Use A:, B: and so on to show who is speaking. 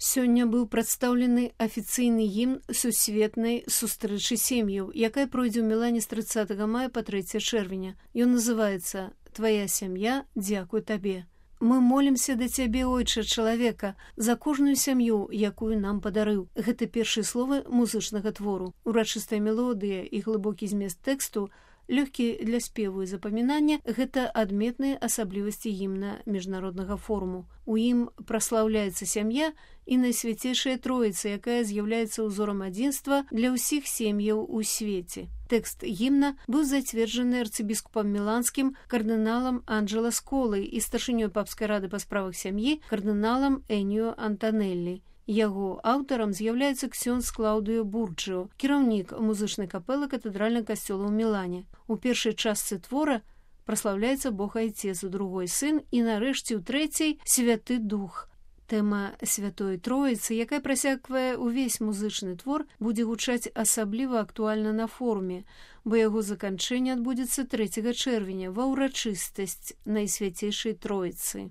A: Сёння быў прадстаўлены афіцыйны гімн сусветнай сустрэчы сем'яў, якая пройдзе ў Мілане з 30 мая па 3 чэрвеня. Ён называецца «Твая сям'я, дзякуй табе». Мы молімся да цябе, ойча чалавека, за кожную сям'ю, якую нам падарыў. Гэта першыя словы музычнага твору. Урачыстая мелодыя і глыбокі змест тэксту, лёгкі для спеву і запамінання – гэта адметныя асаблівасці гімна міжнароднага форуму. У ім праслаўляецца сям'я і найсвяцейшая Троіца, якая з'яўляецца ўзорам адзінства для ўсіх сем'яў у свеце. Тэкст гімна быў зацверджаны арцыбіскупам міланскім кардыналам Анджело Сколай і старшынёй папскай рады па справах сям'і кардыналам Эніо Антанеллі. Яго аўтарам з'яўляецца ксёндз Клаўдыо Бурджио, кіраўнік музычнай капэлы катэдральнага касцёла ў Мілане. У першай частцы твора праслаўляецца Бог Айцец, у другой сын і нарэшце ў трэцяй Святы Дух. Тэма Святой Троіцы, якая прасяквае ўвесь музычны твор, будзе гучаць асабліва актуальна на форуме, бо яго заканчэнне адбудзецца 3 чэрвеня ва ўрачыстасць Найсвяцейшай Троіцы.